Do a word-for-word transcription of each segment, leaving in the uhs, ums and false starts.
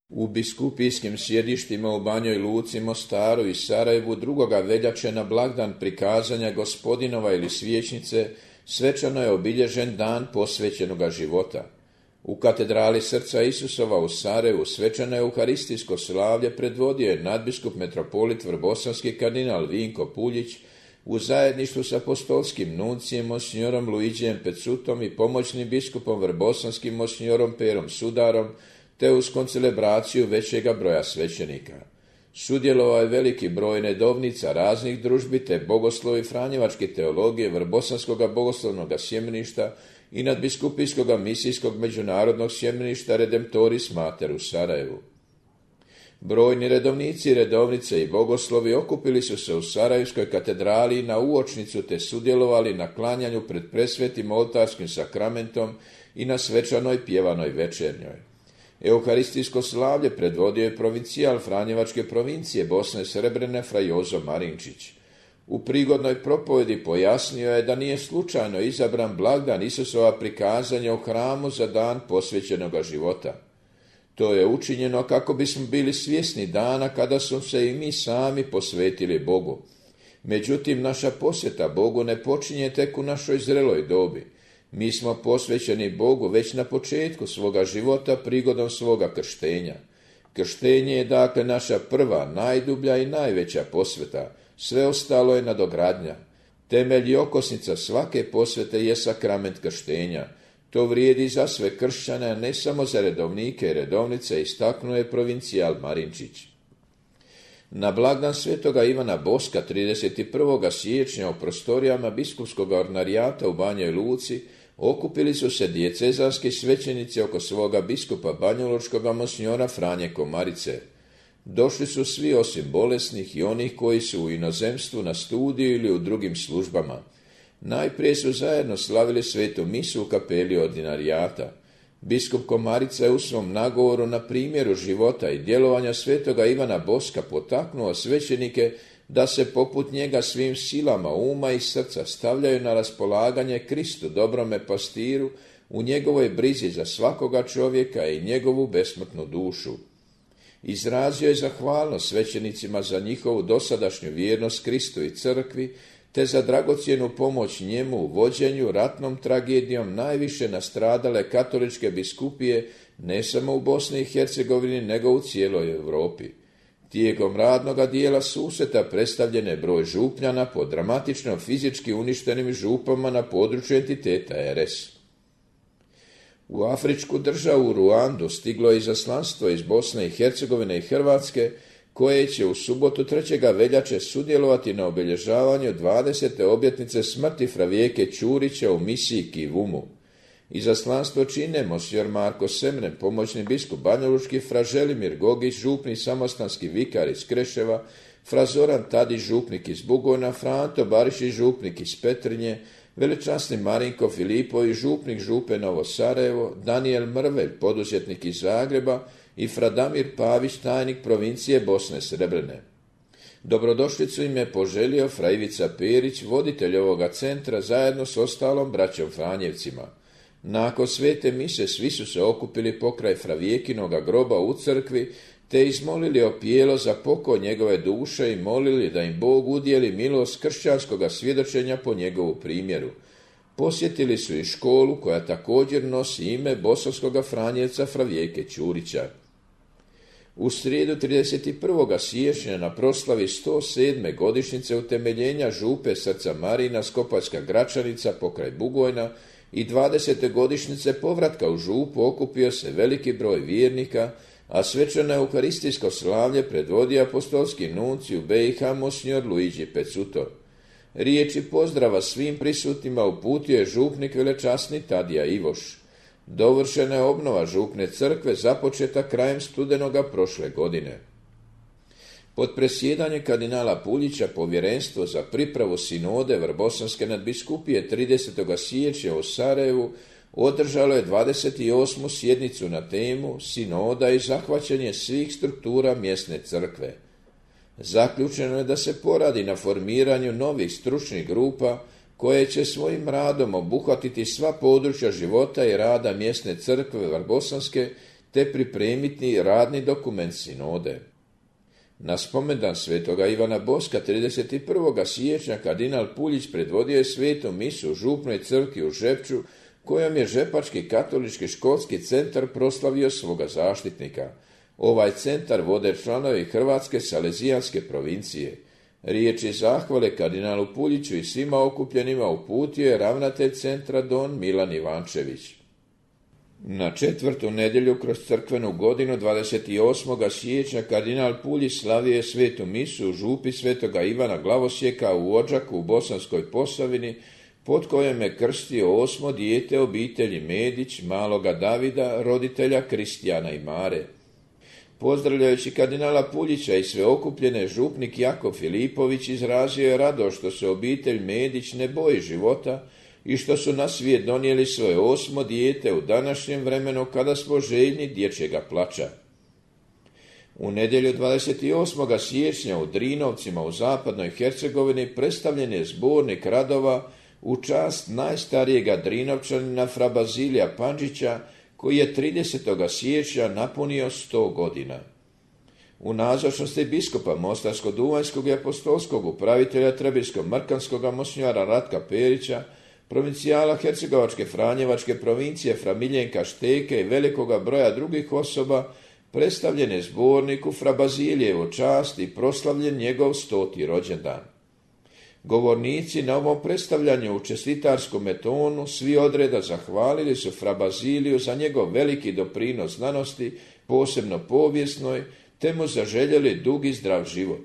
U biskupijskim sjedištima u Banjoj Luci, Mostaru i Sarajevu drugoga veljače na blagdan prikazanja Gospodinova ili svječnice svečano je obilježen dan posvećenoga života. U katedrali Srca Isusova u Sarajevu svečano euharistijsko slavlje predvodio je nadbiskup metropolit vrbosanski kardinal Vinko Puljić u zajedništvu s apostolskim nuncijem monsinjorom Luigijem Pecutom i pomoćnim biskupom vrbosanskim monsinjorom Perom Sudarom, te uz koncelebraciju većega broja svećenika. Sudjelovao je veliki broj nedovnica raznih družbi te bogoslovi franjevačke teologije Vrbosanskoga bogoslovnog sjemeništa i nadbiskupijskog misijskog međunarodnog sjemeništa Redemptoris Mater u Sarajevu. Brojni redovnici, redovnice i bogoslovi okupili su se u Sarajevskoj katedrali na uočnicu te sudjelovali na klanjanju pred presvetim oltarskim sakramentom i na svečanoj pjevanoj večernjoj. Euharistijsko slavlje predvodio je provincijal Franjevačke provincije Bosne Srebrene fra Jozo Marinčić. U prigodnoj propovedi pojasnio je da nije slučajno izabran blagdan Isusova prikazanja u hramu za dan posvećenoga života. To je učinjeno kako bismo bili svjesni dana kada smo se i mi sami posvetili Bogu. Međutim, naša posveta Bogu ne počinje tek u našoj zreloj dobi. Mi smo posvećeni Bogu već na početku svoga života prigodom svoga krštenja. Krštenje je dakle naša prva, najdublja i najveća posveta, sve ostalo je nadogradnja. Temelj i okosnica svake posvete je sakrament krštenja. To vrijedi za sve kršćane, ne samo za redovnike i redovnice, istaknuo je provincijal Marinčić. Na blagdan svetoga Ivana Boska trideset prvog siječnja u prostorijama biskupskog ordinarijata u Banjoj Luci okupili su se dijecezanski svećenici oko svoga biskupa banjolučkoga monsinjora Franje Komarice. Došli su svi osim bolesnih i onih koji su u inozemstvu na studiju ili u drugim službama. Najprije su zajedno slavili svetu misu u kapeli ordinarijata. Biskup Komarica je u svom nagovoru na primjeru života i djelovanja svetoga Ivana Boska potaknuo svećenike da se poput njega svim silama uma i srca stavljaju na raspolaganje Kristu, dobrome pastiru, u njegovoj brizi za svakoga čovjeka i njegovu besmrtnu dušu. Izrazio je zahvalnost svećenicima za njihovu dosadašnju vjernost Kristu i crkvi, te za dragocjenu pomoć njemu u vođenju ratnom tragedijom najviše nastradale katoličke biskupije ne samo u Bosni i Hercegovini, nego u cijeloj Europi. Tijekom radnoga dijela susreta predstavljen je broj župljana po dramatično fizički uništenim župama na području entiteta R S. U afričku državu Ruandu stiglo je izaslanstvo iz Bosne i Hercegovine i Hrvatske, koje će u subotu trećeg veljače sudjelovati na obilježavanju dvadesete obljetnice smrti fra Vijeke Ćurića u misiji Kivumu. Izaslanstvo čine monsignor Marko Semren, pomoćni biskup banjalučki, fra Želimir Gogić, župni samostanski vikar iz Kreševa, fra Zoran Tadić, župnik iz Bugojna, fra Anto Barišić, župnik iz Petrinje, velečasni Marinko Filipović, župnik župe Novo Sarajevo, Daniel Mrvelj, poduzetnik iz Zagreba i fra Damir Pavić, tajnik provincije Bosne Srebrene. Dobrodošlicu im je poželio fra Ivica Perić, voditelj ovoga centra, zajedno s ostalom braćom Franjevcima. Nakon svete mise svi su se okupili pokraj fra Vijekinoga groba u crkvi, te izmolili opijelo za pokoj njegove duše i molili da im Bog udjeli milost kršćanskoga svjedočenja po njegovu primjeru. Posjetili su i školu koja također nosi ime bosanskoga Franjevca fra Vijeke Ćurića. U srijedu trideset prvog siječnja na proslavi sto sedme godišnjice utemeljenja župe Srca Marina Skopačka Gračanica pokraj Bugojna i dvadesete godišnjice povratka u župu okupio se veliki broj vjernika, a svečano euharistijsko slavlje predvodio apostolski nuncij u B i H monsignor Luigi Pecuto. Riječi pozdrava svim prisutnima uputio je župnik velečasni Tadija Ivoš. Dovršena je obnova župne crkve započeta krajem studenoga prošle godine. Pod presjedanjem kardinala Puljića povjerenstvo za pripravu sinode Vrbosanske nadbiskupije tridesetog siječnja u Sarajevu održalo je dvadeset osmu sjednicu na temu sinoda i zahvaćanje svih struktura mjesne crkve. Zaključeno je da se poradi na formiranju novih stručnih grupa koje će svojim radom obuhvatiti sva područja života i rada mjesne crkve Vrbosanske, te pripremiti radni dokument sinode. Na spomendan svetoga Ivana Boska trideset prvog siječnja kardinal Puljić predvodio je svetu misu u župnoj crkvi u Žepču, kojom je Žepački katolički školski centar proslavio svoga zaštitnika. Ovaj centar vode članovi Hrvatske salezijanske provincije. Riječi zahvale kardinalu Puljiću i svima okupljenima uputio je ravnatelj centra don Milan Ivančević. Na četvrtu nedjelju kroz crkvenu godinu dvadeset osmog siječnja kardinal Puljić slavio je svetu misu u župi svetoga Ivana Glavosjeka u Odžaku u Bosanskoj Posavini, pod kojom je krstio osmo dijete obitelji Medić, maloga Davida, roditelja Kristijana i Mare. Pozdravljajući kardinala Puljića i sve okupljene, župnik Jakov Filipović izrazio je radost što se obitelj Medić ne boji života i što su na svijet donijeli svoje osmo dijete u današnjem vremenu kada smo željni dječjega plača. U nedjelju dvadeset osmog siječnja u Drinovcima u zapadnoj Hercegovini predstavljen je zbornik radova u čast najstarijega Drinovčanina fra Bazilija Pandžića, koji je tridesetog siječnja napunio sto godina. U nazočnosti biskupa Mostarsko-Duvanjskog i apostolskog upravitelja Trebinsko-Mrkanskog monsinjora Ratka Perića, provincijala Hercegovačke Franjevačke provincije fra Miljenka Šteke i velikoga broja drugih osoba, predstavljen je zborniku fra Bazilijevu čast i proslavljen njegov stoti rođendan. Govornici na ovom predstavljanju u čestitarskom tonu svi odreda zahvalili su fra Baziliju za njegov veliki doprinos znanosti, posebno povijesnoj, te mu zaželjeli dug i zdrav život.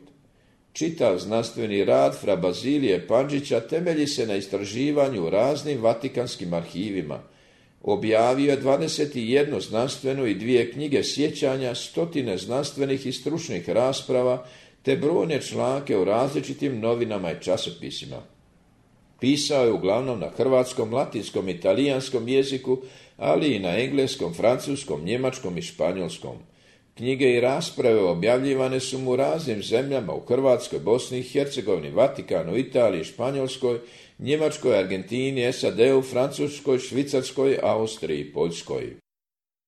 Čitav znanstveni rad fra Bazilije Pandžića temelji se na istraživanju u raznim vatikanskim arhivima. Objavio je dvadeset jednu znanstvenu i dvije knjige sjećanja, stotine znanstvenih i stručnih rasprava, te brojne članke u različitim novinama i časopisima. Pisao je uglavnom na hrvatskom, latinskom i talijanskom jeziku, ali i na engleskom, francuskom, njemačkom i španjolskom. Knjige i rasprave objavljivane su mu u raznim zemljama, u Hrvatskoj, Bosni i Hercegovini, Vatikanu, Italiji, Španjolskoj, Njemačkoj, Argentini, S A D-u, Francuskoj, Švicarskoj, Austriji i Poljskoj.